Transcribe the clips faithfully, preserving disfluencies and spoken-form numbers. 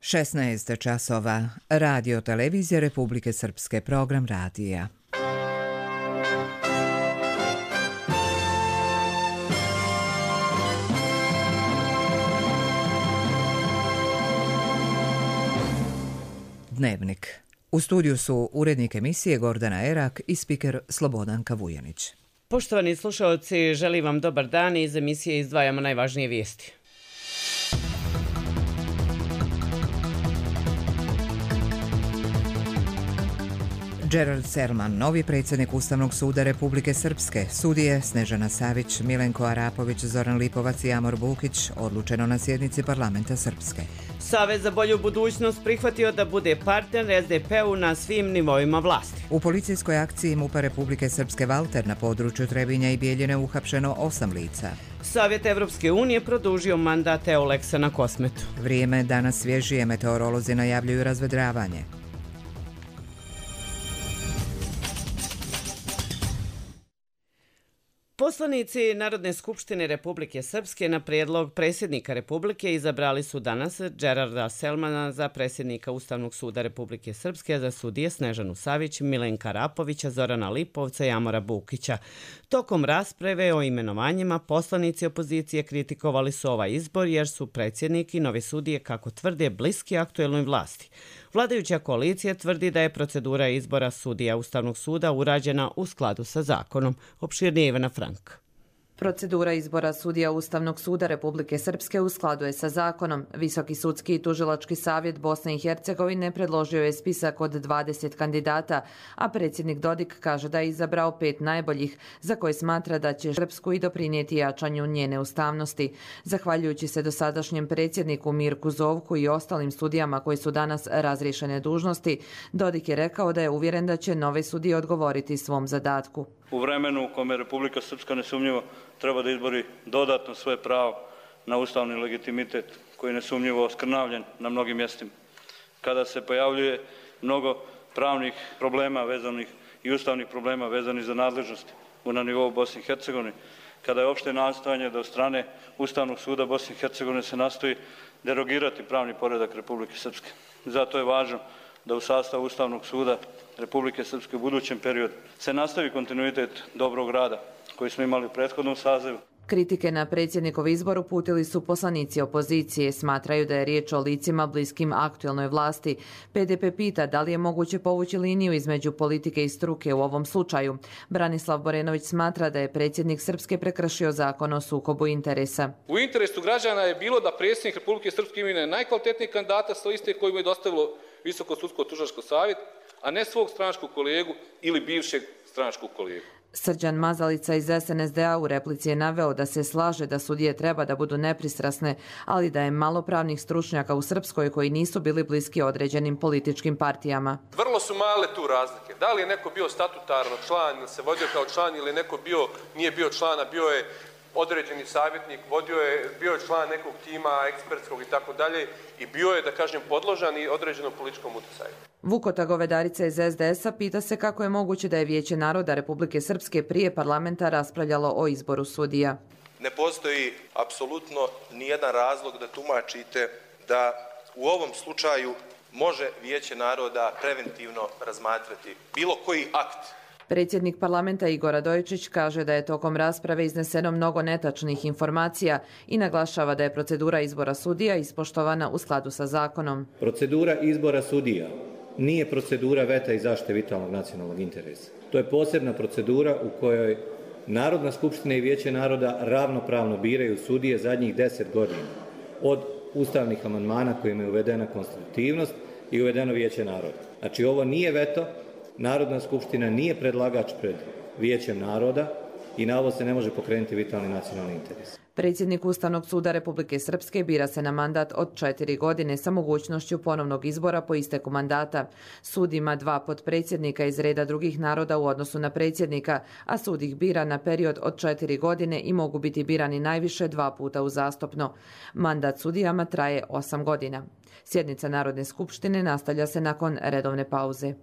šesnaest časova. Radio Televizija Republike Srpske, program radija. Dnevnik. U studiju su urednik emisije Gordana Erak i spiker Slobodanka Vujanić. Poštovani slušalci, želim vam dobar dan i iz emisije izdvajamo najvažnije vijesti. Gerard Selman, novi predsjednik Ustavnog suda Republike Srpske, sudije Snežana Savić, Milenko Arapović, Zoran Lipovac i Amor Bukić, odlučeno na sjednici parlamenta Srpske. Savez za bolju budućnost prihvatio da bude partner es de pe-u na svim nivoima vlasti. U policijskoj akciji MUP-a Republike Srpske Valter na području Trebinja i Bijeljine uhapšeno osam lica. Savjet Evropske unije produžio mandat Euleksa na Kosmetu. Vrijeme danas svježije, meteorolozi najavljuju razvedravanje. Poslanici Narodne skupštine Republike Srpske na prijedlog predsjednika Republike izabrali su danas Gerarda Selmana za predsjednika Ustavnog suda Republike Srpske, za sudije Snežanu Savić, Milenka Arapovića, Zorana Lipovca i Amora Bukića. Tokom rasprave o imenovanjima poslanici opozicije kritikovali su ovaj izbor jer su predsjednik i novi sudije, kako tvrde, bliski aktuelnoj vlasti. Vladajuća koalicija tvrdi da je procedura izbora sudija Ustavnog suda urađena u skladu sa zakonom. Opširnije Ivana Frank. Procedura izbora sudija Ustavnog suda Republike Srpske u skladu je sa zakonom. Visoki sudski i tužilački savjet Bosne i Hercegovine predložio je spisak od dvadeset kandidata, a predsjednik Dodik kaže da je izabrao pet najboljih, za koje smatra da će Srpsku i doprinijeti jačanju njene ustavnosti. Zahvaljujući se dosadašnjem predsjedniku Mirku Zovku i ostalim sudijama koji su danas razriješene dužnosti, Dodik je rekao da je uvjeren da će nove sudije odgovoriti svom zadatku. U vremenu u kome Republika Srpska nesumnjivo treba da izbori dodatno svoje pravo na ustavni legitimitet koji je nesumnjivo oskrnavljen na mnogim mjestima. Kada se pojavljuje mnogo pravnih problema vezanih i ustavnih problema vezanih za nadležnosti na nivou Bosne i Hercegovine, kada je opšte nastojanje da od strane Ustavnog suda Bosne i Hercegovine se nastoji derogirati pravni poredak Republike Srpske. Zato je važno da u sastavu Ustavnog suda Republike Srpske u budućem periodu se nastavi kontinuitet dobrog rada koji smo imali u prethodnom sazivu. Kritike na predsjednikov izbor uputili su poslanici opozicije. Smatraju da je riječ o licima bliskim aktuelnoj vlasti. pe de pe pita da li je moguće povući liniju između politike i struke u ovom slučaju. Branislav Borenović smatra da je predsjednik Srpske prekršio zakon o sukobu interesa. U interesu građana je bilo da predsjednik Republike Srpske imenuje najkvalitetnijeg kandidata sa liste koju mu je dostavilo Visoko sudsko tužilački savjet, a ne svog stranačkog kolegu ili bivšeg stranačkog kolegu. Srđan Mazalica iz es en es de a u replici je naveo da se slaže da sudije treba da budu nepristrasne, ali da je malo pravnih stručnjaka u Srpskoj koji nisu bili bliski određenim političkim partijama. Vrlo su male tu razlike. Da li je neko bio statutarno član ili se vodio kao član ili neko bio, nije bio člana, bio je određeni savjetnik, vodio je, bio je član nekog tima ekspertskog i tako dalje i bio je, da kažem, podložan i određenom političkom utjecaju. Vukota Govedarica iz es de es-a pita se kako je moguće da je Vijeće naroda Republike Srpske prije parlamenta raspravljalo o izboru sudija. Ne postoji apsolutno nijedan razlog da tumačite da u ovom slučaju može Vijeće naroda preventivno razmatrati bilo koji akt. Predsjednik parlamenta Igor Radojičić kaže da je tokom rasprave izneseno mnogo netačnih informacija i naglašava da je procedura izbora sudija ispoštovana u skladu sa zakonom. Procedura izbora sudija nije procedura veta i zaštite vitalnog nacionalnog interesa. To je posebna procedura u kojoj Narodna skupština i Vijeće naroda ravnopravno biraju sudije zadnjih deset godina. Od ustavnih amandmana kojima je uvedena konstitutivnost i uvedeno Vijeće naroda. Znači ovo nije veto. Narodna skupština nije predlagač pred Vijećem naroda i na ovo se ne može pokrenuti vitalni nacionalni interes. Predsjednik Ustavnog suda Republike Srpske bira se na mandat od četiri godine sa mogućnošću ponovnog izbora po isteku mandata. Sud ima dva potpredsjednika iz reda drugih naroda u odnosu na predsjednika, a sud ih bira na period od četiri godine i mogu biti birani najviše dva puta uzastopno. Mandat sudijama traje osam godina. Sjednica Narodne skupštine nastavlja se nakon redovne pauze.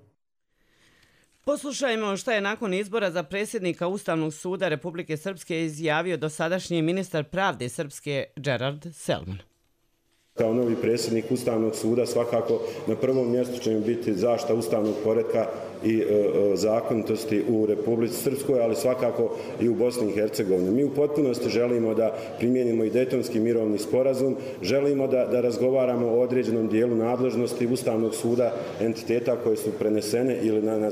Poslušajmo šta je nakon izbora za predsjednika Ustavnog suda Republike Srpske izjavio dosadašnji ministar pravde Srpske Gerard Selman. Kao novi predsjednik Ustavnog suda svakako na prvom mjestu će mi biti zaštita ustavnog poretka i e, zakonitosti u Republici Srpskoj, ali svakako i u Bosni i Hercegovini. Mi u potpunosti želimo da primijenimo i Dejtonski mirovni sporazum, želimo da, da razgovaramo o određenom dijelu nadležnosti Ustavnog suda entiteta koje su prenesene ili na, na,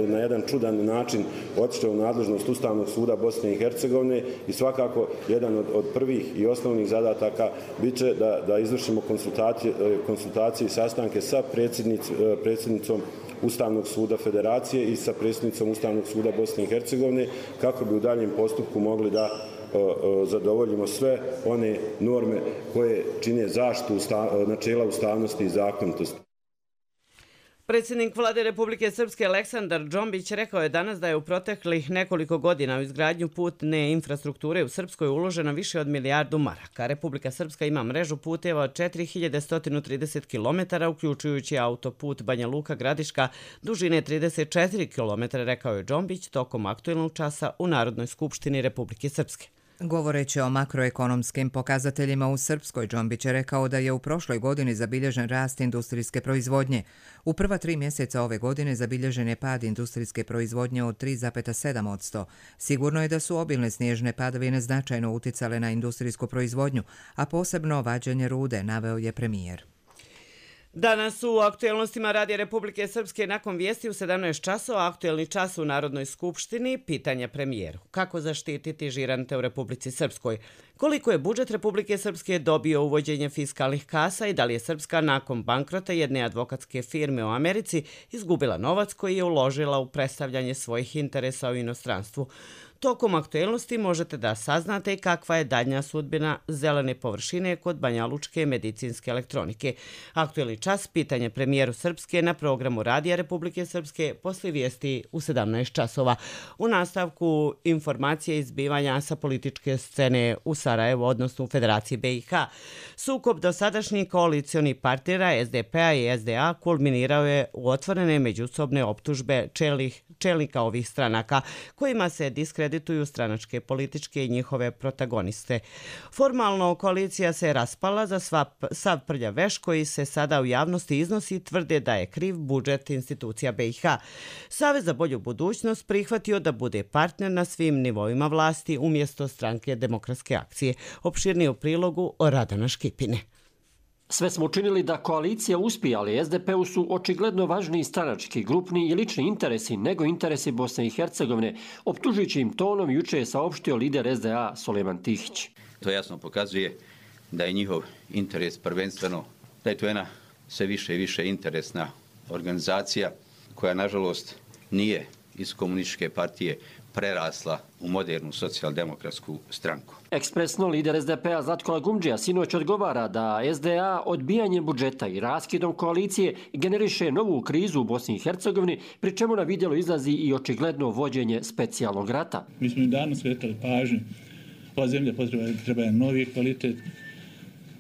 na jedan čudan način otišle u nadležnost Ustavnog suda Bosne i Hercegovine i svakako jedan od, od prvih i osnovnih zadataka bit će da, da izvršimo konsultacije, konsultacije i sastanke sa predsjednic, predsjednicom Ustavnog suda Federacije i sa predsjednicom Ustavnog suda Bosne i Hercegovine kako bi u daljem postupku mogli da o, o, zadovoljimo sve one norme koje čine zaštitu usta, načela ustavnosti i zakonitosti. Predsjednik Vlade Republike Srpske Aleksandar Džombić rekao je danas da je u proteklih nekoliko godina u izgradnju putne infrastrukture u Srpskoj uloženo više od milijardu maraka. Republika Srpska ima mrežu puteva od četiri hiljade sto trideset kilometara, uključujući autoput Banja Luka-Gradiška dužine trideset četiri kilometra, rekao je Džombić tokom aktuelnog časa u Narodnoj skupštini Republike Srpske. Govoreći o makroekonomskim pokazateljima u Srpskoj, Džombić je rekao da je u prošloj godini zabilježen rast industrijske proizvodnje. U prva tri mjeseca ove godine zabilježen je pad industrijske proizvodnje od tri zarez sedam posto. Sigurno je da su obilne snježne padavine značajno uticale na industrijsku proizvodnju, a posebno vađenje rude, naveo je premijer. Danas u aktuelnostima Radija Republike Srpske nakon vijesti u sedamnaest časova, aktuelni čas u Narodnoj skupštini, pitanja premijeru. Kako zaštititi žirante u Republici Srpskoj? Koliko je budžet Republike Srpske dobio uvođenje fiskalnih kasa i da li je Srpska nakon bankrota jedne advokatske firme u Americi izgubila novac koji je uložila u predstavljanje svojih interesa u inostranstvu? Tokom aktuelnosti možete da saznate i kakva je daljnja sudbina zelene površine kod banjalučke medicinske elektronike. Aktuelni čas, pitanje premijeru Srpske na programu Radija Republike Srpske posle vijesti u sedamnaest časova. U nastavku informacije izbivanja sa političke scene u Sarajevu, odnosno u Federaciji B i H. Sukob dosadašnjih koalicijonih partnera S D P-a i S D A kulminirao je u otvorene međusobne optužbe čelih, čelnika ovih stranaka, kojima se diskredituju stranačke političke i njihove protagoniste. Formalno koalicija se raspala za sva, sav prljav veš koji se sada u javnosti iznosi, tvrde da je kriv budžet institucija B i H. Savez za bolju budućnost prihvatio da bude partner na svim nivoima vlasti umjesto stranke Demokratske akcije. Opširnije u prilogu Radana Škipine. Sve smo učinili da koalicija uspije, ali S D P-u su očigledno važniji stranački, grupni i lični interesi nego interesi Bosne i Hercegovine, optužujući im tonom juče je saopštio lider S D A Sulejman Tihić. To jasno pokazuje da je njihov interes prvenstveno, da je to jedna sve više i više interesna organizacija koja nažalost nije iz komunističke partije prerasla u modernu socijaldemokratsku stranku. Ekspresno lider S D P-a Zlatko Lagumdžija sinoć odgovara da S D A odbijanjem budžeta i raskidom koalicije generiše novu krizu u Bosni i Hercegovini, pri čemu na vidjelo izlazi i očigledno vođenje specijalnog rata. Mi smo i danas skretali pažnju. Ova zemlja potreba, treba je novi kvalitet,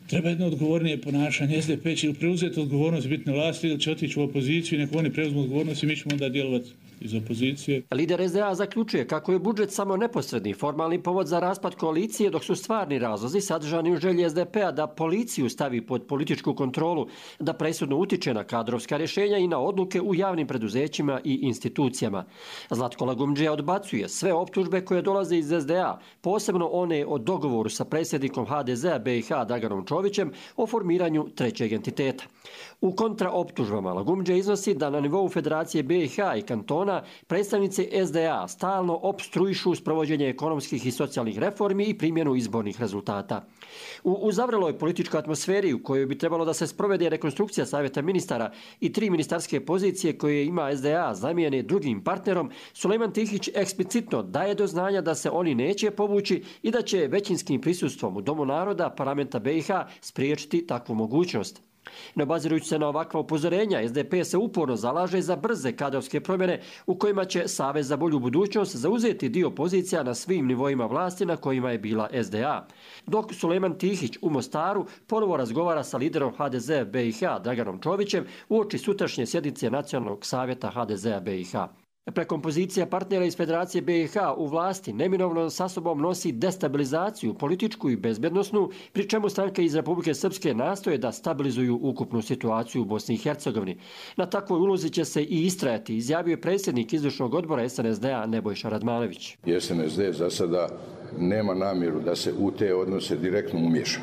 treba jedno odgovornije ponašanje. S D P će preuzeti odgovornost biti na vlasti ili će otići u opoziciju i neko oni preuzmu odgovornost i mi ćemo onda djelovati iz opozicije. Lider S D A zaključuje kako je budžet samo neposredni formalni povod za raspad koalicije, dok su stvarni razlozi sadržani u želji S D P-a da policiju stavi pod političku kontrolu, da presudno utiče na kadrovska rješenja i na odluke u javnim preduzećima i institucijama. Zlatko Lagumdžija odbacuje sve optužbe koje dolaze iz S D A, posebno one o dogovoru sa predsjednikom H D Z-a B i H Draganom Čovićem o formiranju trećeg entiteta. U kontraoptužbama Lagumdžija iznosi da na nivou Federacije B i H i kantona predstavnici S D A stalno opstruišu sprovođenje ekonomskih i socijalnih reformi i primjenu izbornih rezultata. U uzavreloj političkoj atmosferi u kojoj bi trebalo da se sprovede rekonstrukcija Savjeta ministara i tri ministarske pozicije koje ima S D A zamijene drugim partnerom, Sulejman Tihić eksplicitno daje do znanja da se oni neće povući i da će većinskim prisustvom u Domu naroda parlamenta B i H spriječiti takvu mogućnost. Ne obazirujući se na ovakva upozorenja, S D P se uporno zalaže za brze kadrovske promjene u kojima će Savez za bolju budućnost zauzeti dio pozicija na svim nivoima vlasti na kojima je bila S D A. Dok Sulejman Tihić u Mostaru ponovo razgovara sa liderom H D Z-a B i H Draganom Čovićem uoči sutrašnje sjednice Nacionalnog savjeta H D Z-a B i H. Prekompozicija partnera iz Federacije B i H u vlasti neminovno sa sobom nosi destabilizaciju političku i bezbjednosnu, pri čemu stranke iz Republike Srpske nastoje da stabilizuju ukupnu situaciju u Bosni i Hercegovini. Na takvoj ulozi će se i istrajati, izjavio je predsjednik izvršnog odbora S N S D-a Nebojša Radmanović. S N S D za sada nema namjeru da se u te odnose direktno umiješa.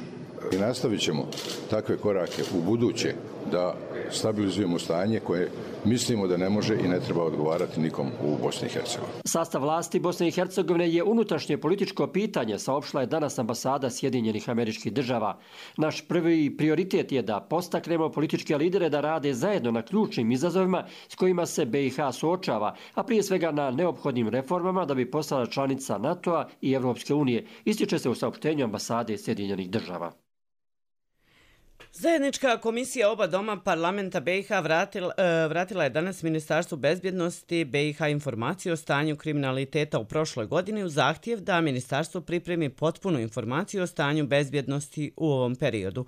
I nastavit ćemo takve korake u buduće da stabilizujemo stanje koje mislimo da ne može i ne treba odgovarati nikom u Bosni i Hercegovini. Sastav vlasti Bosne i Hercegovine je unutrašnje političko pitanje, saopštila je danas ambasada Sjedinjenih Američkih Država. Naš prvi prioritet je da postaknemo političke lidere da rade zajedno na ključnim izazovima s kojima se B i H suočava, a prije svega na neophodnim reformama da bi postala članica NATO-a i Evropske unije, ističe se u saopštenju ambasade Sjedinjenih Država. Zajednička komisija oba doma parlamenta B i H vratila, vratila je danas Ministarstvu bezbjednosti B i H informaciju o stanju kriminaliteta u prošloj godini u zahtjev da ministarstvo pripremi potpunu informaciju o stanju bezbjednosti u ovom periodu.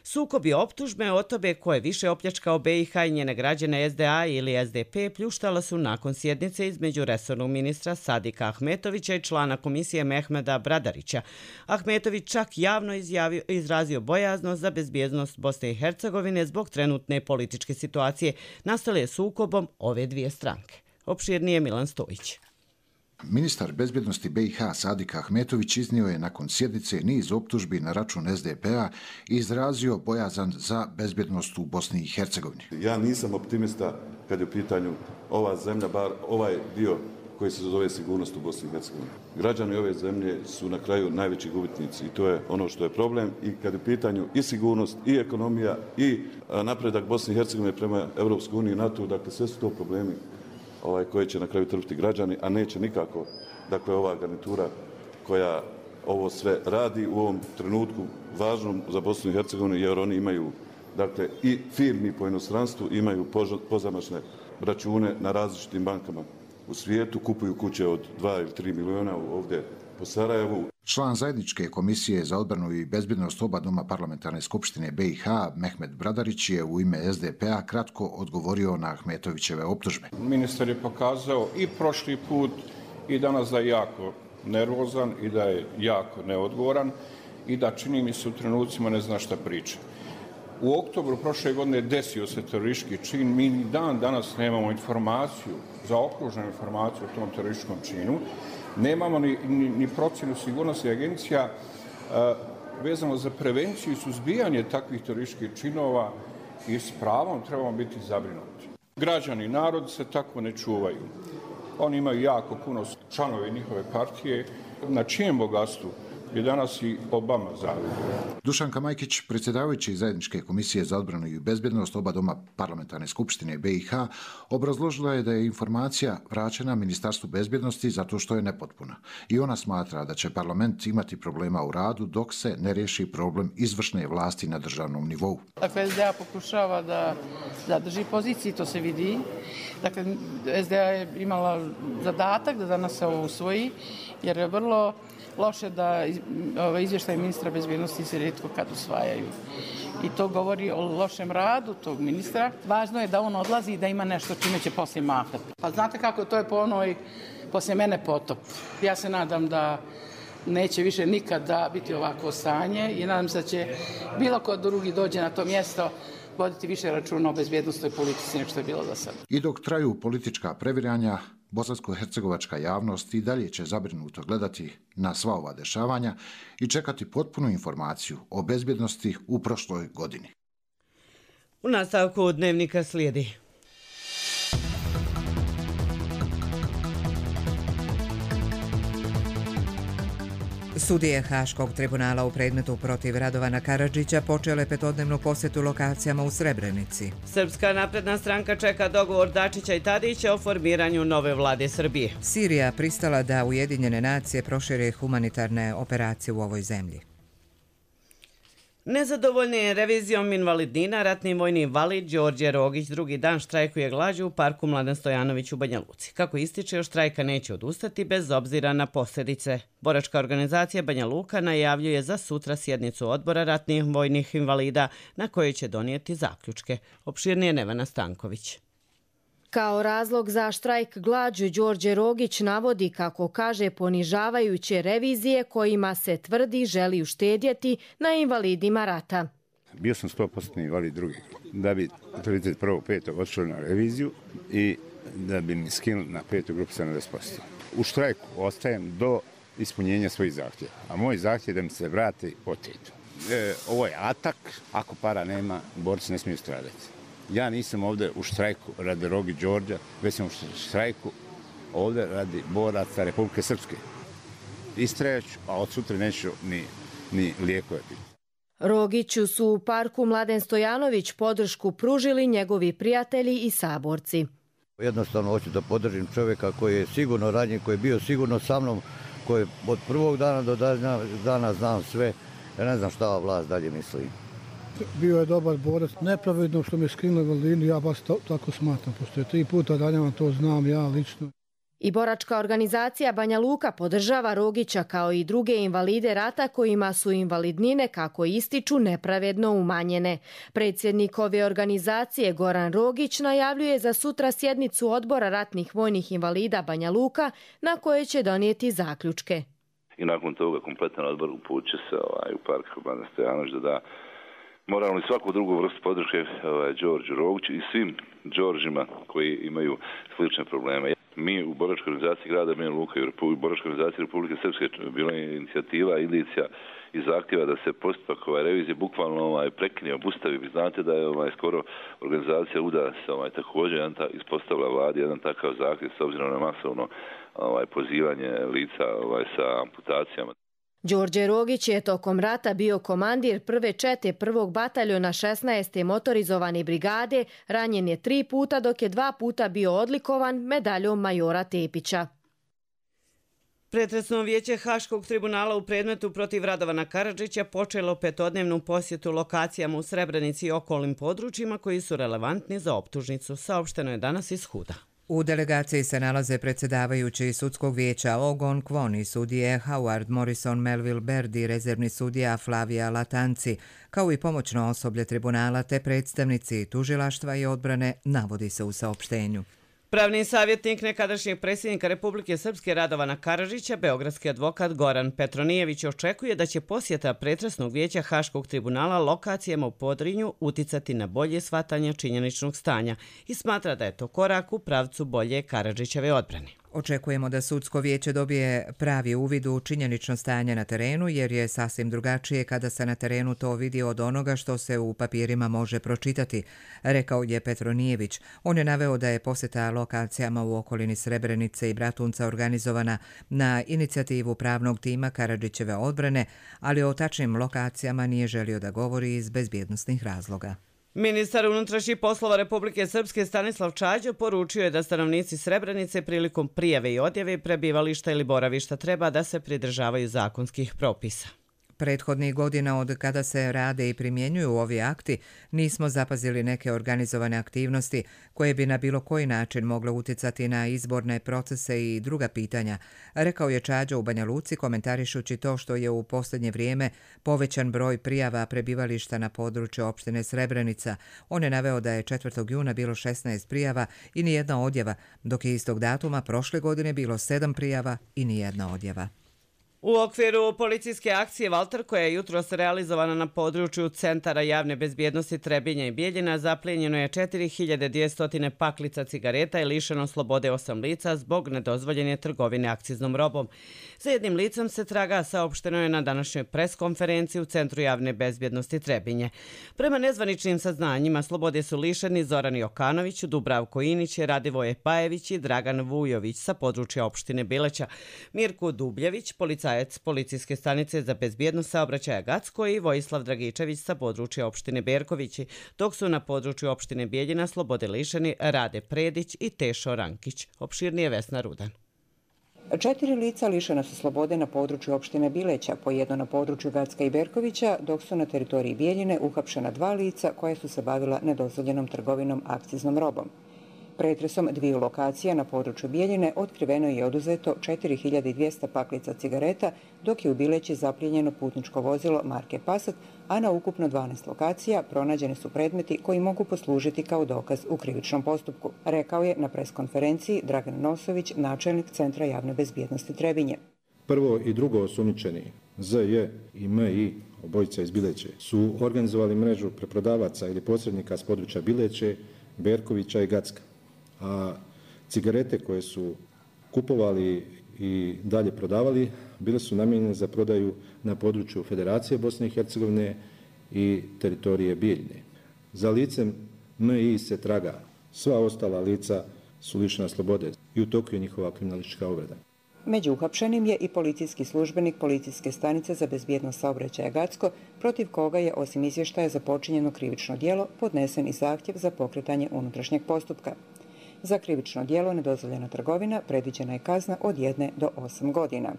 Sukobi optužbe o tobe ko je više opljačkao B i H i njene građane S D A ili S D P pljuštala su nakon sjednice između resornog ministra Sadika Ahmetovića i člana komisije Mehmeda Bradarića. Ahmetović čak javno izjavio, izrazio bojaznost za bezbjednost Bosne i Hercegovine zbog trenutne političke situacije nastale sukobom ove dvije stranke. Opširnije Milan Stojić. Ministar bezbjednosti B i H Sadik Ahmetović iznio je nakon sjednice niz optužbi na račun S D P-a i izrazio bojazan za bezbjednost u Bosni i Hercegovini. Ja nisam optimista kad je u pitanju ova zemlja, bar ovaj dio koji se zove sigurnost u Bosni i Hercegovini. Građani ove zemlje su na kraju najveći gubitnici i to je ono što je problem. I kad je u pitanju i sigurnost, i ekonomija, i napredak Bosne i Hercegovine prema Evropskoj uniji i NATO, dakle sve su to problemi ovaj, koje će na kraju trpiti građani, a neće nikako dakle, ova garnitura koja ovo sve radi u ovom trenutku važnom za Bosnu i Hercegovinu, jer oni imaju dakle, i firmi po inostranstvu, imaju pozamašne račune na različitim bankama u svijetu, kupuju kuće od dva ili tri miliona ovdje po Sarajevu. Član zajedničke komisije za odbranu i bezbjednost oba doma parlamentarne skupštine B i H, Mehmed Bradarić, je u ime S D P-a kratko odgovorio na Ahmetovićeve optužbe. Ministar je pokazao i prošli put i danas da je jako nervozan i da je jako neodgovoran i da čini mi se u trenucima ne zna šta priča. U oktobru prošle godine desio se teroristički čin, mi ni dan danas nemamo informaciju, zaokruženu informaciju o tom terorističkom činu. Nemamo ni, ni, ni procjenu sigurnosti agencija uh, vezano za prevenciju i suzbijanje takvih terorističkih činova i s pravom trebamo biti zabrinuti. Građani, narod se tako ne čuvaju. Oni imaju jako puno članove njihove partije, na čijem bogatstvu je danas i Obama zavidio. Dušanka Majkić, predsjedavajući zajedničke komisije za odbranu i bezbjednost oba doma parlamentarne skupštine B i H, obrazložila je da je informacija vraćena Ministarstvu bezbjednosti zato što je nepotpuna. I ona smatra da će parlament imati problema u radu dok se ne riješi problem izvršne vlasti na državnom nivou. Dakle, S D A pokušava da zadrži poziciji, to se vidi. Dakle, S D A je imala zadatak da danas se ovo usvoji, jer je vrlo loše da izvještaj ministra bezbjednosti se rijetko kad usvajaju. I to govori o lošem radu tog ministra. Važno je da on odlazi i da ima nešto čime će poslije mahati. Pa znate kako, to je po onoj, poslije mene potop. Ja se nadam da neće više nikada biti ovako stanje i nadam se da će bilo ko drugi dođe na to mjesto voditi više računa o bezbjednostnoj politici nego što je bilo do sada. I dok traju politička previranja, bosansko-hercegovačka javnost i dalje će zabrinuto gledati na sva ova dešavanja i čekati potpunu informaciju o bezbjednosti u prošloj godini. U nastavku dnevnika slijedi. Sudije Haškog tribunala u predmetu protiv Radovana Karadžića počele petodnevnu posjetu lokacijama u Srebrenici. Srpska napredna stranka čeka dogovor Dačića i Tadića o formiranju nove vlade Srbije. Sirija pristala da Ujedinjene nacije prošire humanitarne operacije u ovoj zemlji. Nezadovoljni revizijom invalidnina, ratni vojni invalid Đorđe Rogić drugi dan štrajkuje glađu u parku Mladen Stojanović u Banja Luci. Kako ističe, od štrajka neće odustati bez obzira na posljedice. Boračka organizacija Banja Luka najavljuje za sutra sjednicu odbora ratnih vojnih invalida na kojoj će donijeti zaključke. Opširnije Nevena Stanković. Kao razlog za štrajk glađu Đorđe Rogić navodi, kako kaže, ponižavajuće revizije kojima se tvrdi želi uštedjeti na invalidima rata. Bio sam sto posto invalid drugi, da bi trideset prvog petog odšli na reviziju i da bi mi skinuli na petu grupu sedamdeset posto. U štrajku ostajem do ispunjenja svojih zahtjeva, a moj zahtjev je da mi se vrati oteto. E, ovo je atak, ako para nema, borci ne smiju stradati. Ja nisam ovdje u štrajku radi Rogi Đorđa, već sam u štrajku ovdje radi boraca Republike Srpske. Istrajaću, a od sutra neću ni, ni lijekove piti. Rogiću su u parku Mladen Stojanović podršku pružili njegovi prijatelji i saborci. Jednostavno hoću da podržim čovjeka koji je sigurno ranjen, koji je bio sigurno sa mnom, koji od prvog dana do dana znam sve. Ja ne znam šta ova vlast dalje misli. Bio je dobar borac, nepravedno što me skinuli invalidinu, ja baš to, tako smatram, pošto je tri puta ranjen, to znam ja lično. I boračka organizacija Banja Luka podržava Rogića kao i druge invalide rata kojima su invalidnine, kako ističu, nepravedno umanjene. Predsjednik ove organizacije Goran Rogić najavljuje za sutra sjednicu odbora ratnih vojnih invalida Banja Luka na koje će donijeti zaključke. I nakon toga kompletan odbor uputit će se ovaj, u park Mladen Stojanović da da moralno i svaku drugu vrstu podrške ovaj, Đorđu Rogiću i svim Đorđima koji imaju slične probleme. Mi u boračkoj organizaciji grada Banja Luka i u boračkoj organizaciji Republike Srpske bila je inicijativa, indicija i zahtjeva da se postupak ovaj, revizije bukvalno ovaj, prekine, obustavi. Vi znate da je ovaj, skoro organizacija U D A se ovaj, također jedan ta, ispostavila vladi jedan takav zahtjev s obzirom na masovno ovaj, pozivanje lica ovaj, sa amputacijama. Đorđe Rogić je tokom rata bio komandir prve čete prvog bataljona šesnaeste motorizovane brigade, ranjen je tri puta dok je dva puta bio odlikovan medaljom majora Tepića. Pretresno vijeće Haškog tribunala u predmetu protiv Radovana Karadžića počelo petodnevnu posjetu lokacijama u Srebrenici i okolnim područjima koji su relevantni za optužnicu, saopšteno je danas iz Huda. U delegaciji se nalaze predsjedavajući sudskog vijeća Ogon Kwon i sudije Howard Morrison Melville Baird i rezervni sudija Flavia Latanci, kao i pomoćno osoblje tribunala te predstavnici tužilaštva i odbrane, navodi se u saopštenju. Pravni savjetnik nekadašnjeg predsjednika Republike Srpske Radovana Karadžića, beogradski advokat Goran Petronijević, očekuje da će posjeta pretresnog vijeća Haškog tribunala lokacijama u Podrinju uticati na bolje shvatanje činjeničnog stanja i smatra da je to korak u pravcu bolje Karadžićeve odbrane. Očekujemo da sudsko vijeće dobije pravi uvid u činjenično stanje na terenu, jer je sasvim drugačije kada se na terenu to vidi od onoga što se u papirima može pročitati, rekao je Petronijević. On je naveo da je posjeta lokacijama u okolini Srebrenice i Bratunca organizovana na inicijativu pravnog tima Karadžićeve odbrane, ali o tačnim lokacijama nije želio da govori iz bezbjednosnih razloga. Ministar unutrašnjih poslova Republike Srpske Stanislav Čađo poručio je da stanovnici Srebrenice prilikom prijave i odjave prebivališta ili boravišta treba da se pridržavaju zakonskih propisa. Prethodnih godina od kada se rade i primjenjuju ovi akti nismo zapazili neke organizovane aktivnosti koje bi na bilo koji način mogle uticati na izborne procese i druga pitanja, rekao je Čađo u Banja Luci komentarišući to što je u posljednje vrijeme povećan broj prijava prebivališta na području opštine Srebrenica. On je naveo da je četvrtog juna bilo šesnaest prijava i nijedna odjava, dok je istog datuma prošle godine bilo sedam prijava i nijedna odjava. U okviru policijske akcije Valter, koja je jutros realizovana na području Centara javne bezbjednosti Trebinja i Bijeljina, zaplijenjeno je četiri hiljade dvjesto paklica cigareta i lišeno slobode osam lica zbog nedozvoljene trgovine akciznom robom. Za jednim licem se traga, saopšteno je na današnjoj preskonferenciji u Centru javne bezbjednosti Trebinje. Prema nezvaničnim saznanjima, slobode su lišeni Zoran Jokanović, Dubravko Inić, Radivoje Pajević i Dragan Vujović sa područja opštine Bileća, Mirko Dubljević, policajac policijske stanice za bezbjednost saobraćaja Gacko i Vojislav Dragičević sa područja opštine Berkovići, dok su na području opštine Bijeljina slobode lišeni Rade Predić i Tešo Rankić. Opširnije Vesna Rudan. Četiri lica lišena su slobode na području opštine Bileća, po jedno na području Gacka i Berkovića, dok su na teritoriji Bijeljine uhapšena dva lica koja su se bavila nedozvoljenom trgovinom akciznom robom. Pretresom dviju lokacija na području Bijeljine otkriveno je oduzeto četiri hiljade dvjesto paklica cigareta, dok je u Bileći zaplijenjeno putničko vozilo marke Passat, a na ukupno dvanaest lokacija pronađeni su predmeti koji mogu poslužiti kao dokaz u krivičnom postupku, rekao je na preskonferenciji Dragan Nosović, načelnik Centra javne bezbjednosti Trebinje. Prvo i drugo osumnjičeni Z J i M I, obojica iz Bileće, su organizovali mrežu preprodavaca ili posrednika s područja Bileće, Berkovića i Gacka. A cigarete koje su kupovali i dalje prodavali bile su namijenjene za prodaju na području Federacije Bosne i Hercegovine i teritorije Bijeljine. Za licem M I se traga. Sva ostala lica su lišena slobode i u toku je njihova kriminalistička obrada. Među uhapšenim je i policijski službenik Policijske stanice za bezbjednost saobraćaja Gacko, protiv koga je osim izvještaja za počinjeno krivično djelo podnesen i zahtjev za pokretanje unutrašnjeg postupka. Za krivično djelo nedozvoljena trgovina predviđena je kazna od jedne do osam godina.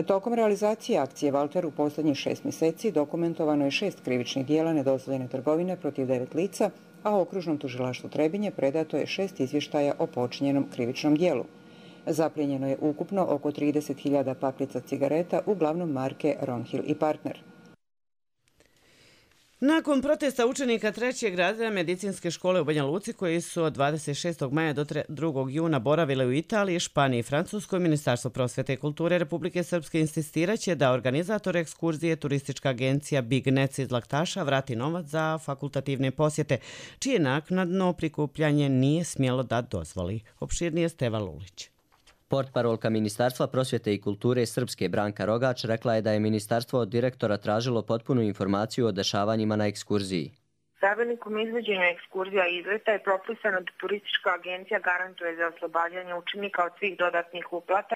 Tokom realizacije akcije Valter u posljednjih šest mjeseci dokumentovano je šest krivičnih djela nedozvoljene trgovine protiv devet lica, a okružnom tužilaštvu Trebinje predato je šest izvještaja o počinjenom krivičnom djelu. Zaplijenjeno je ukupno oko trideset hiljada paklica cigareta, uglavnom marke Ronhill i Partner. Nakon protesta učenika trećeg razreda medicinske škole u Banja Luci, koji su od dvadeset šestog maja do drugog juna boravile u Italiji, Španiji i Francuskoj, Ministarstvo prosvete i kulture Republike Srpske insistiraće da organizator ekskurzije turistička agencija Big Nets iz Laktaša vrati novac za fakultativne posjete, čije naknadno prikupljanje nije smjelo da dozvoli. Opširnije Steva Lulić. Portparolka Ministarstva prosvjete i kulture Srpske Branka Rogač rekla je da je ministarstvo od direktora tražilo potpunu informaciju o dešavanjima na ekskurziji. Pravilnikom izvođenja ekskurzija i izleta je propisano da turistička agencija garantuje za oslobađanje učenika od svih dodatnih uplata.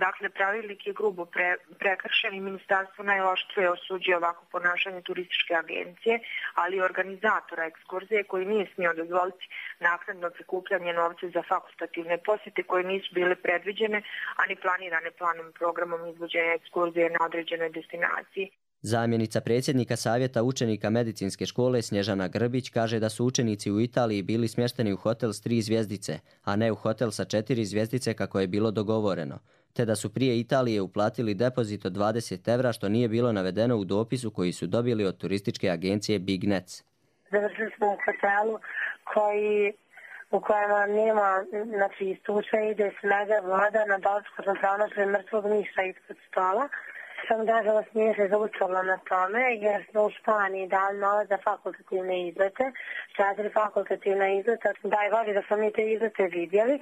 Dakle, pravilnik je grubo pre, prekršen i ministarstvo najoštrije osuđuje ovako ponašanje turističke agencije, ali i organizatora ekskurzije koji nije smio dozvoliti naknadno prikupljanje novca za fakultativne posjete koje nisu bile predviđene, a ni planirane planom programom izvođenja ekskurzije na određenoj destinaciji. Zamjenica predsjednika Savjeta učenika medicinske škole Snježana Grbić kaže da su učenici u Italiji bili smješteni u hotel s tri zvjezdice, a ne u hotel sa četiri zvjezdice kako je bilo dogovoreno, te da su prije Italije uplatili depozit od dvadeset evra što nije bilo navedeno u dopisu koji su dobili od turističke agencije Big Nets. Završili smo u hotelu koji u kojem nema, znači istuče ide snega voda na Balčku sam pronašli mrtvog miša ispod stola. Sam nažalost nije se zaučala na tome jer smo u Španiji dali novac za fakultativne izlete, četiri fakultativne izlete, daj vodi da smo mi te izlete vidjeli.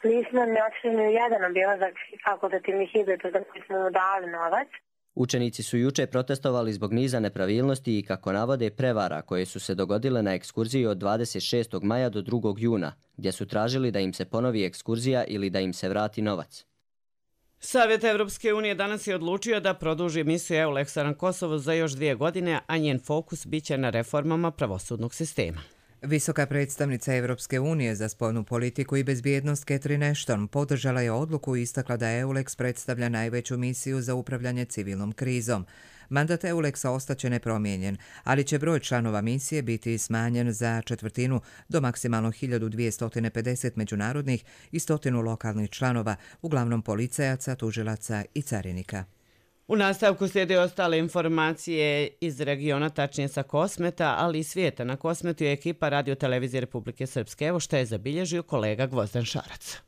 Nismo ne otišli ni jedan obilazak fakultativnih izleta za koji smo mu dali novac. Učenici su juče protestovali zbog niza nepravilnosti i, kako navode, prevara koje su se dogodile na ekskurziji od dvadeset šestog maja do drugog juna, gdje su tražili da im se ponovi ekskurzija ili da im se vrati novac. Savjet Evropske unije danas je odlučio da produži misiju EULEX-a na Kosovo za još dvije godine, a njen fokus biće na reformama pravosudnog sistema. Visoka predstavnica Evropske unije za spoljnu politiku i bezbjednost Catherine Ashton podržala je odluku i istakla da EULEX predstavlja najveću misiju za upravljanje civilnom krizom. Mandat EULEX-a ostaće nepromijenjen, ali će broj članova misije biti smanjen za četvrtinu do maksimalno hiljadu dvjesto pedeset međunarodnih i stotinu lokalnih članova, uglavnom policajaca, tužilaca i carinika. U nastavku slijede ostale informacije iz regiona, tačnije sa Kosmeta, ali i svijeta. Na Kosmetu je ekipa Radio televizije Republike Srpske. Evo što je zabilježio kolega Gvozdan Šarac.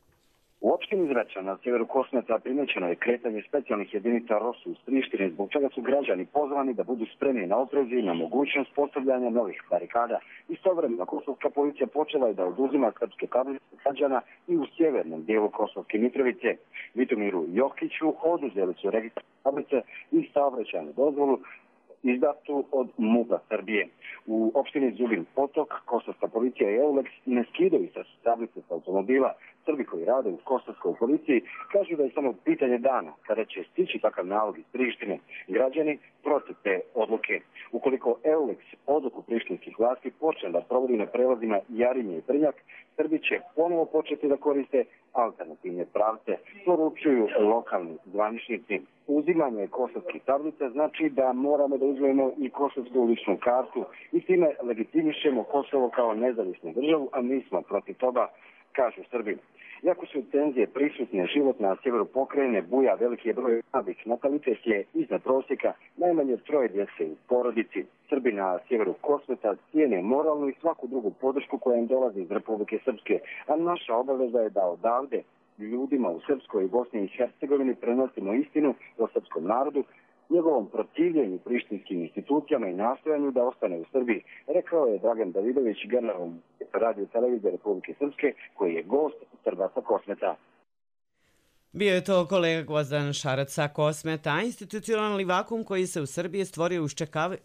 U opštini Zvečan na sjeveru Kosmeta primjećeno je kretanje specijalnih jedinica ROSU iz Prištine, zbog čega su građani pozvani da budu spremni na oprez i na mogućnost postavljanja novih barikada. Istovremeno kosovska policija počela je da oduzima srpske tablice građana i u sjevernom dijelu Kosovske Mitrovice. Vitomiru Jokiću oduzeli su registar tablice i saobraćajnu dozvolu izdatu od MUP-a Srbije. U opštini Zubin Potok kosovska policija i EULEX ne skidaju sa tablice sa automobila. Srbi koji rade u kosovskoj policiji kažu da je samo pitanje dana kada će stići takav nalog iz Prištine. Građani protiv te odluke. Ukoliko EULEX odluku prištinskih vlasti počne da provodi na prelazima Jarinje i Brnjak, Srbi će ponovo početi da koriste alternativne pravce, poručuju lokalni zvaničnici. Uzimanje kosovskih tablica znači da moramo da uzmemo i kosovsku ličnu kartu i time legitimišemo Kosovo kao nezavisnu državu, a mi smo protiv toga. kažu Srbi. Iako su tenzije prisutne, život na sjeveru pokrajine buja, veliki je broj mladih, natalitet je iznad prosjeka, najmanje troje djece u porodici. Srbi na sjeveru Kosmeta cijene moralnu i svaku drugu podršku koja im dolazi iz Republike Srpske, a naša obaveza je da odavde ljudima u Srpskoj i Bosni i Hercegovini prenosimo istinu o srpskom narodu, njegovom protivljenju prištinskim institucijama i nastojanju da ostane u Srbiji, rekao je Dragan Davidović, general radio televizije Republike Srpske, koji je gost Srba sa Kosmeta. Bio je to kolega Gvozdan Šarac sa Kosmeta. Institucionalni vakum koji se u Srbiji stvorio u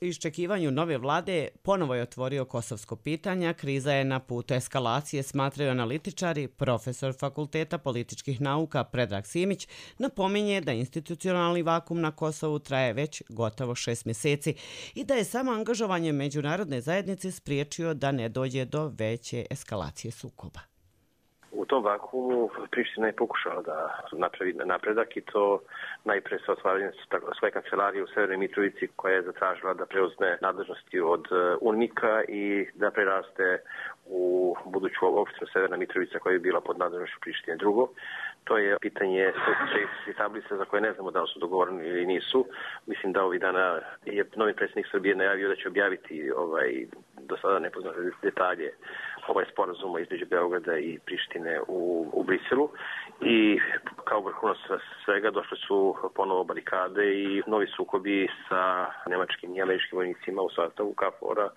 iščekivanju nove vlade ponovo je otvorio kosovsko pitanje. Kriza je na putu eskalacije, smatraju analitičari. Profesor Fakulteta političkih nauka Predrag Simić napominje da institucionalni vakum na Kosovu traje već gotovo šest mjeseci i da je samo angažovanje međunarodne zajednice spriječio da ne dođe do veće eskalacije sukoba. U tom vakuumu Priština je pokušala da napravi napredak i to najpre sa otvaranjem svoje kancelarije u Severnoj Mitrovici koja je zatražila da preuzme nadležnosti od UNMIK-a i da preraste u buduću opštinu Severna Mitrovica koja je bila pod nadležnošću Prištine. Drugo, to je pitanje šest tablice za koje ne znamo da li su dogovoreni ili nisu. Mislim da ovih dana je novi predsjednik Srbije najavio da će objaviti ovaj, do sada nepoznate detalje ovaj sporazum između Beograda i Prištine u, u Briselu i kao vrhunac svega došle su ponovo barikade i novi sukobi sa nemačkim i američkim vojnicima u sastavu KFOR-a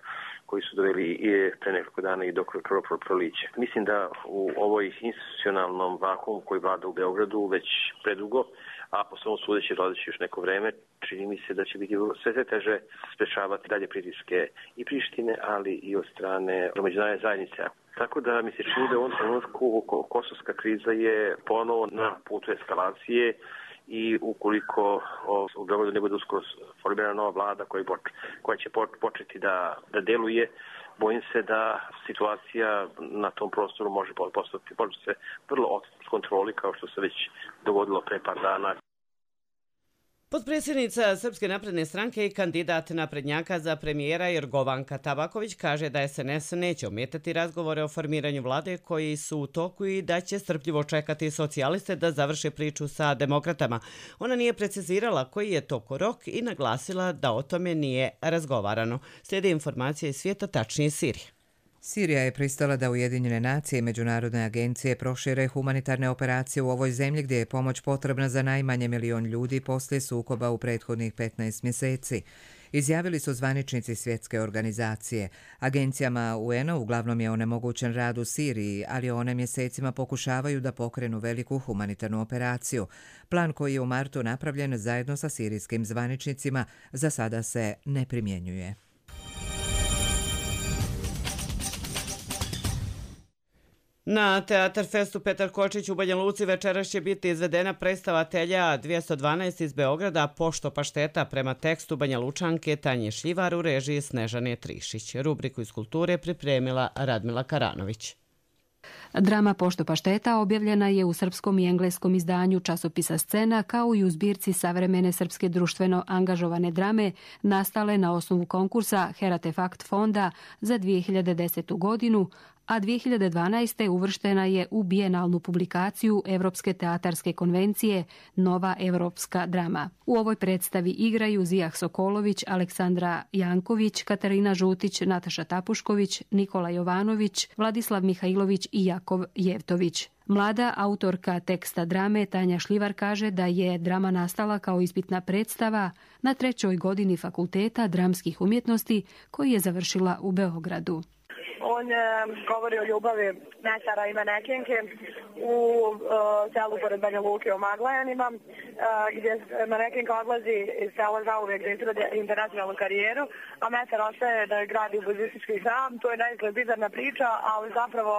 koji su doveli i pre nekoliko dana i do krvoprolića. Mislim da u ovoj institucionalnom vakuumu koji vlada u Beogradu već predugo, a po svom sudeći dolazeći još neko vreme, čini mi se da će biti sve sve teže sprečavati dalje pritiske i Prištine, ali i od strane međunarodne zajednice. Tako da mi se čini da u ovom trenutku kosovska kriza je ponovo na putu eskalacije i ukoliko u Beogradu ne bude uskoro formirana nova vlada koja, koja će početi da, da deluje, bojim se da situacija na tom prostoru može postati se vrlo od kontroli kao što se već dogodilo pre par dana. Potpredsjednica Srpske napredne stranke i kandidat naprednjaka za premijera Jorgovanka Tabaković kaže da S N S neće ometati razgovore o formiranju vlade koji su u toku i da će strpljivo čekati socijaliste da završe priču sa demokratama. Ona nije precizirala koji je to rok i naglasila da o tome nije razgovarano. Slijede informacije iz svijeta, tačnije Sirije. Sirija je pristala da Ujedinjene nacije i međunarodne agencije prošire humanitarne operacije u ovoj zemlji gdje je pomoć potrebna za najmanje milion ljudi poslije sukoba u prethodnih petnaest mjeseci. Izjavili su zvaničnici svjetske organizacije. Agencijama U N-a uglavnom je onemogućen rad u Siriji, ali one mjesecima pokušavaju da pokrenu veliku humanitarnu operaciju. Plan koji je u martu napravljen zajedno sa sirijskim zvaničnicima za sada se ne primjenjuje. Na Teatar Festu Petar Kočić u Banja Luci večeras će biti izvedena predstava Telja dvjesto dvanaest iz Beograda Pošto pašteta prema tekstu Banja Lučanke Tanje Šljivar u režiji Snežane Trišić. Rubriku iz kulture pripremila Radmila Karanović. Drama Pošto pašteta objavljena je u srpskom i engleskom izdanju časopisa Scena kao i u zbirci savremene srpske društveno angažovane drame nastale na osnovu konkursa Heratefakt fonda za dvije hiljade desetu godinu, a dvije hiljade dvanaeste. uvrštena je u bijenalnu publikaciju Evropske teatarske konvencije Nova evropska drama. U ovoj predstavi igraju Zijah Sokolović, Aleksandra Janković, Katarina Žutić, Nataša Tapušković, Nikola Jovanović, Vladislav Mihajlović i Jakov Jevtović. Mlada autorka teksta drame Tanja Šljivar kaže da je drama nastala kao ispitna predstava na trećoj godini Fakulteta dramskih umjetnosti koji je završila u Beogradu. On e, govori o ljubavi mesara i manekenke u e, selu pored Banja Luke o Maglajanima, e, gdje manekenka odlazi iz sela zauvijek da izrade internacionalnu karijeru, a mesar ostaje da gradi budistički hram. To je naizgled bizarna priča, ali zapravo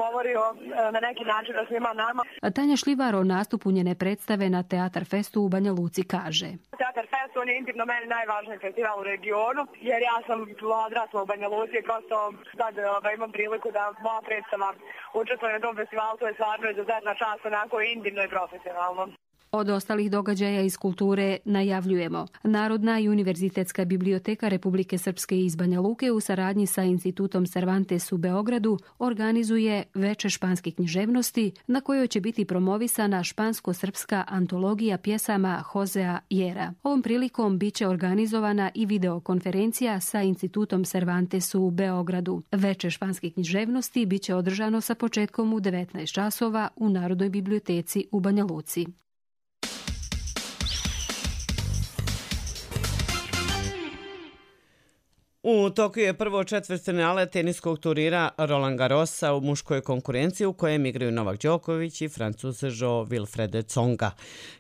govori o, e, na neki način o svima nama. Tanja Šljivar o nastupu njene predstave na Teatar Festu u Banja Luci kaže: Teatar Fest, on je intimno meni najvažniji festival u regionu, jer ja sam odrasla u Banja Luci i prosto sad da imam priliku da moja predstava učestvuje na tom festivalu, to je stvarno izuzetna čast, onako intimno i profesionalno. Od ostalih događaja iz kulture najavljujemo. Narodna i univerzitetska biblioteka Republike Srpske iz Banja Luke u saradnji sa Institutom Cervantes u Beogradu organizuje veče španske književnosti na kojoj će biti promovisana špansko-srpska antologija pjesama Josea Jera. Ovom prilikom bit će organizovana i videokonferencija sa Institutom Cervantes u Beogradu. Veče španske književnosti bit će održano sa početkom u devetnaest časova u Narodnoj biblioteci u Banja Luci. U toku je prvo četvrtfinale teniskog turnira Roland Garrosa u muškoj konkurenciji u kojem igraju Novak Đoković i Francuz Jo Wilfried Tsonga.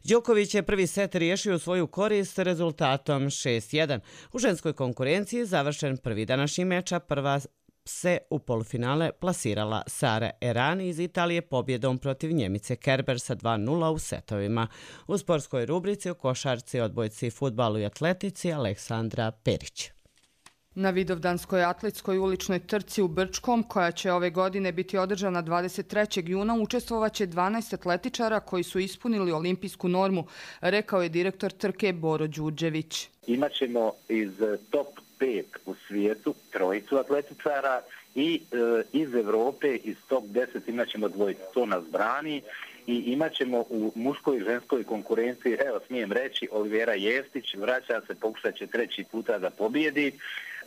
Đoković je prvi set riješio u svoju korist rezultatom šest jedan. U ženskoj konkurenciji završen prvi današnji meč, a prva se u polufinale plasirala Sara Errani iz Italije pobjedom protiv Njemice Kerber sa dva nula u setovima. U sportskoj rubrici o košarci, odbojci, fudbalu i atletici Aleksandra Perić. Na Vidovdanskoj atletskoj uličnoj trci u Brčkom, koja će ove godine biti održana dvadeset trećeg juna, učestvovaće dvanaest atletičara koji su ispunili olimpijsku normu, rekao je direktor trke Boro Đurđević. Imaćemo iz top pet u svijetu trojicu atletičara i e, iz Evrope iz top deset imaćemo dvojicu. To nas brani. I imat ćemo u muškoj i ženskoj konkurenciji, evo smijem reći, Olivera Jestić vraća se, pokušat će treći puta da pobjedi.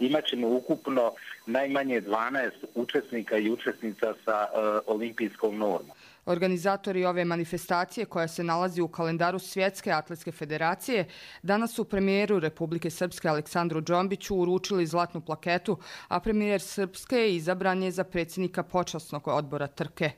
Imat ćemo ukupno najmanje dvanaest učesnika i učesnica sa uh, olimpijskom normom. Organizatori ove manifestacije, koja se nalazi u kalendaru Svjetske atletske federacije, danas su premijeru Republike Srpske Aleksandru Džombiću uručili zlatnu plaketu, a premijer Srpske izabran je za predsjednika počasnog odbora trke.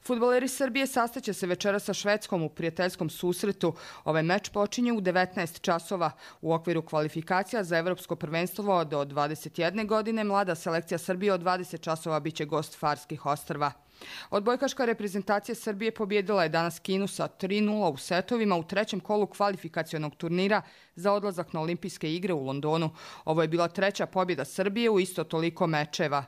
Fudbaleri Srbije sastaće se večera sa Švedskom u prijateljskom susretu. Ovaj meč počinje u devetnaest časova. U okviru kvalifikacija za evropsko prvenstvo do dvadeset jedne godine mlada selekcija Srbije od dvadeset časova biće gost Farskih ostrva. Odbojkaška reprezentacija Srbije pobjedila je danas Kinu sa tri nula u setovima u trećem kolu kvalifikacionog turnira za odlazak na olimpijske igre u Londonu. Ovo je bila treća pobjeda Srbije u isto toliko mečeva.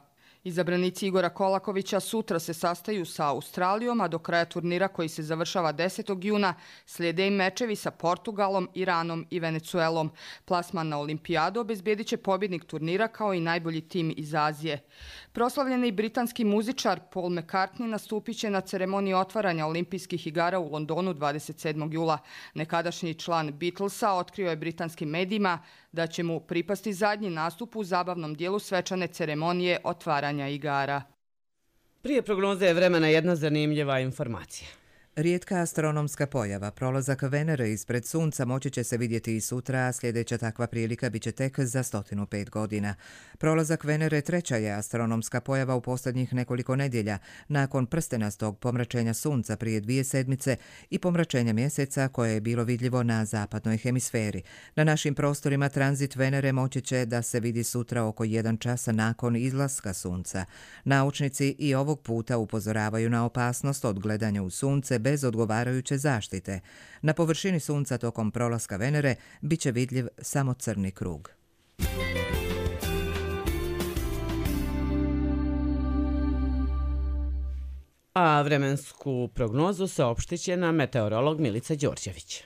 Izabranici Igora Kolakovića sutra se sastaju sa Australijom, a do kraja turnira koji se završava desetog juna slijede i mečevi sa Portugalom, Iranom i Venecuelom. Plasman na olimpijadu obezbjedit će pobjednik turnira kao i najbolji tim iz Azije. Proslavljeni britanski muzičar Paul McCartney nastupit će na ceremoniji otvaranja olimpijskih igara u Londonu dvadeset sedmog jula. Nekadašnji član Beatlesa otkrio je britanskim medijima da će mu pripasti zadnji nastup u zabavnom dijelu svečane ceremonije otvaranja igara. Prije prognoze vremena jedna zanimljiva informacija. Rijetka astronomska pojava, prolazak Venere ispred Sunca, moći će se vidjeti i sutra, a sljedeća takva prilika biće tek za sto pet godina. Prolazak Venere treća je astronomska pojava u posljednjih nekoliko nedjelja, nakon prstenastog pomračenja Sunca prije dvije sedmice i pomračenja mjeseca koje je bilo vidljivo na zapadnoj hemisferi. Na našim prostorima tranzit Venere moći će da se vidi sutra oko jedan časa nakon izlaska Sunca. Naučnici i ovog puta upozoravaju na opasnost od gledanja u Sunce bez odgovarajuće zaštite. Na površini Sunca tokom prolaska Venere bit će vidljiv samo crni krug. A vremensku prognozu saopštit će nam meteorolog Milica Đorđević.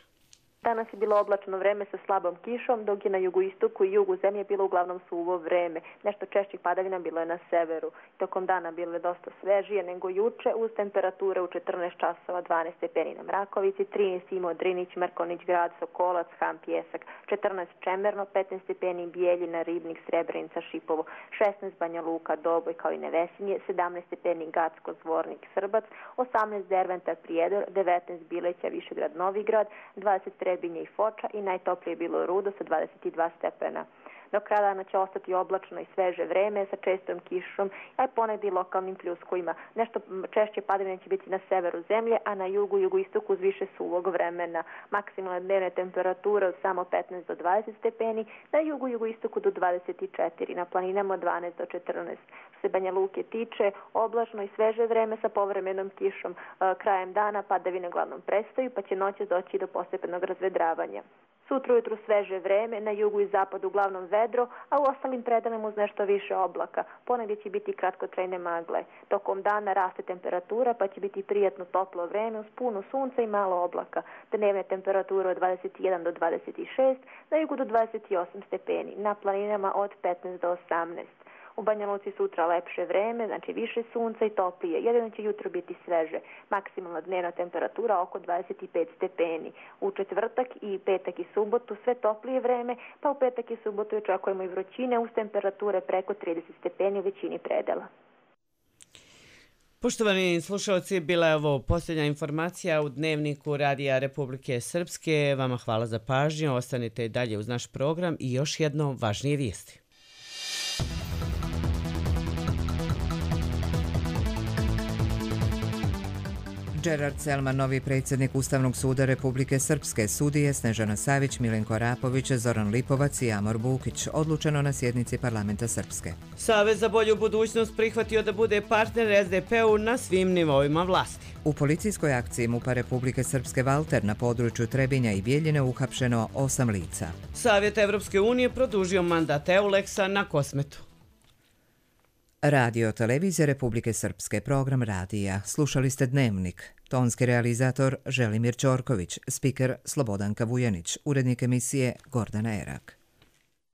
Danas je bilo oblačno vreme sa slabom kišom, dok je na jugoistoku i jugu zemlje bilo uglavnom suvo vreme. Nešto češćih padavina bilo je na severu. Tokom dana bilo je dosta svežije nego juče, uz temperature u četrnaest časova, dvanaest stepeni na Mrakovici, trinaest Imo, Drinić, Mrkonić Grad, Sokolac, Han, Pjesak, četrnaest Čemerno, petnaest stepeni Bijeljina, Ribnik, Srebrenica, Šipovo, šesnaest Banja Luka, Doboj kao i Nevesinje, sedamnaest stepeni Gacko, Zvornik, Srbac, osamnaest Derventar, Prijedor, devetnaest Bileća, Višegrad, Novigrad, dvadeset Trebinje i Foča i najtoplije je bilo Rudo sa dvadeset dva stepena. Do kraja dana će ostati oblačno i sveže vreme sa čestom kišom, a i ponegdje i lokalnim pljuskovima. Nešto češće padavine će biti na severu zemlje, a na jugu i jugoistoku uz više suvog vremena. Maksimalne dnevne temperature od samo petnaest do dvadeset stepeni, na jugu i jugoistoku do dvadeset četiri, na planinama od dvanaest do četrnaest. Što se Banja Luke tiče, oblačno i sveže vreme sa povremenom kišom. Krajem dana padavine uglavnom prestaju, pa će noćas doći do postepenog razvedravanja. Sutra ujutru sveže vreme, na jugu i zapadu uglavnom vedro, a u ostalim predelima uz nešto više oblaka. Ponegdje će biti kratkotrajne magle. Tokom dana raste temperatura, pa će biti prijatno toplo vreme uz puno sunca i malo oblaka. Dnevne temperature od dvadeset jedan do dvadeset šest, na jugu do dvadeset osam stepeni, na planinama od petnaest do osamnaest. U Banja Luci sutra lepše vreme, znači više sunca i toplije. Jedino će jutro biti sveže. Maksimalna dnevna temperatura oko dvadeset pet stepeni. U četvrtak i petak i subotu sve toplije vreme, pa u petak i subotu očekujemo i vrućine uz temperature preko trideset stepeni u većini predela. Poštovani slušalci, bila je ovo posljednja informacija u Dnevniku Radija Republike Srpske. Vama hvala za pažnju, ostanite i dalje uz naš program i još jedno važnije vijesti. Gerard Selman, novi predsjednik Ustavnog suda Republike Srpske, sudije Snežana Savić, Milenko Arapović, Zoran Lipovac i Amor Bukić, odlučeno na sjednici parlamenta Srpske. Savez za bolju budućnost prihvatio da bude partner es de pe-u na svim nivoima vlasti. U policijskoj akciji MUP-a Republike Srpske Valter na području Trebinja i Bijeljine uhapšeno osam lica. Savjet Evropske unije produžio mandat Euleksa na Kosmetu. Radio Televizija Republike Srpske, program radija. Slušali ste Dnevnik. Tonski realizator Želimir Ćorković, spiker Slobodanka Vujanić, urednik emisije Gordana Erak.